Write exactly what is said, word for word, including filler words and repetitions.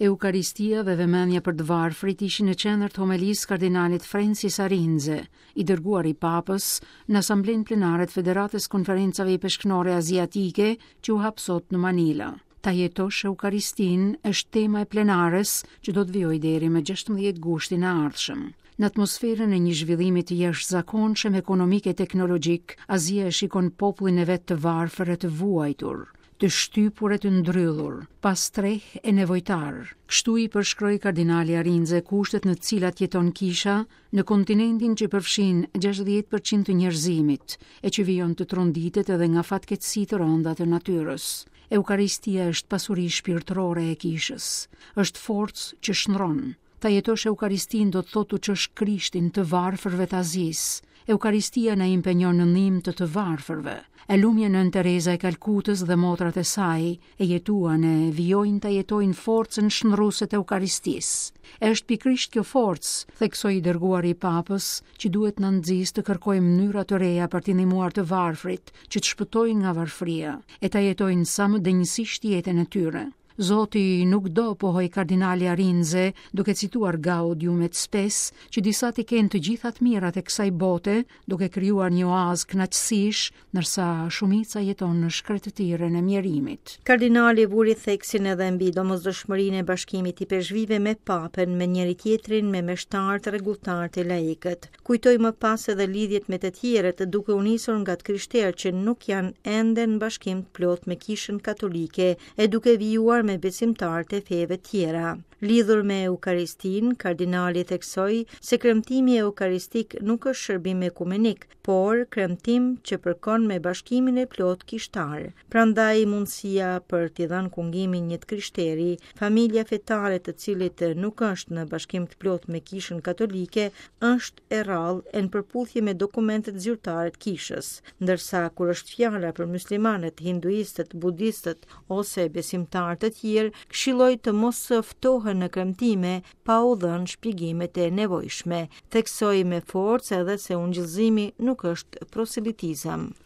Eukaristia dhe vëmendja për të varfrit ishin në qendër të homelisë kardinalit Francis Arinze, i dërguar i Papës në Asamblenë Plenare të Federatës Konferencave Ipeshknore Aziatike që u hap sot në Manila. Ta jetosh Eukaristinë është tema e plenares që do të vijojë deri më gjashtëmbëdhjetë gushtin e ardhshëm. Në atmosferën e një zhvillimi të jashtëzakonshëm ekonomik e teknologjik, Azia e shikon popullin e vet të varfër e të vuajtur, të shtypur e të ndrydhur, pa streh e nevojtar. Kështu i përshkroi kardinali Arinze kushtet në të cilat jeton kisha në kontinentin që përfshin gjashtëdhjetë përqind të njerëzimit e që vijon të tronditet edhe nga fatkeqësi të rënda të natyrës. Eukaristia është pasuri shpirtërore e kishës, është forcë që shndron. Ta jetosh Eukaristinë do të thotë të çosh Krishtin të varfërve të Azisë. Eukaristia na impenjon në ndihmë të të varfërve. E lumja Nënë Tereza e Kalkutës dhe motrat e saj e jetuan e vijojnë ta jetojnë forcën shndruese të Eukaristisë. E është pikërisht kjo forcë, theksoi i dërguari i Papës, që duhet na nxisë të kërkojmë mënyra të reja për t'i ndihmuar të varfrit, që të shpëtojnë nga varfëria, e ta jetojnë sa më denjësisht jetën e tyre. Zoti nuk do, pohoi kardinali Arinze, duke cituar Gaudium et Spes, që disa t'i kenë të gjitha të mirat e kësaj bote, duke krijuar një oazë kënaqësish, ndërsa shumica jeton në shkretëtirën e mjerimit. Kardinali vuri theksin edhe mbi domosdoshmërinë e bashkimit të ipeshkvijve me Papën, me njëri tjetrin, me meshtarët, rregulltarët e laikët. Kujtoi më pas edhe lidhjet me të tjerët, duke u nisur nga të krishterë që nuk janë ende në bashkim të plot me Kishën Katolike e duke vijuar me besimtarët e feve tjera. Lidhur me Eukaristinë, kardinali theksoi se kremtimi eukaristik nuk është shërbim ekumenik, por kremtim që përkon me bashkimin e plot kishtar. Prandaj mundësia për t'i dhënë kungimin një të krishteri, familja fetare të cilit nuk është në bashkim të plot me Kishën Katolike, është e rrallë e në përputhje me dokumentet zyrtare të kishës, ndërsa kur është fjala për muslimanët, hinduistët, budistët ose besimtarë të tjerë, këshilloi të mos ftohen në kremtime pa u dhënë shpjegimet e nevojshme. Theksoi me forcë edhe se ungjillzimi nuk është proselitizëm.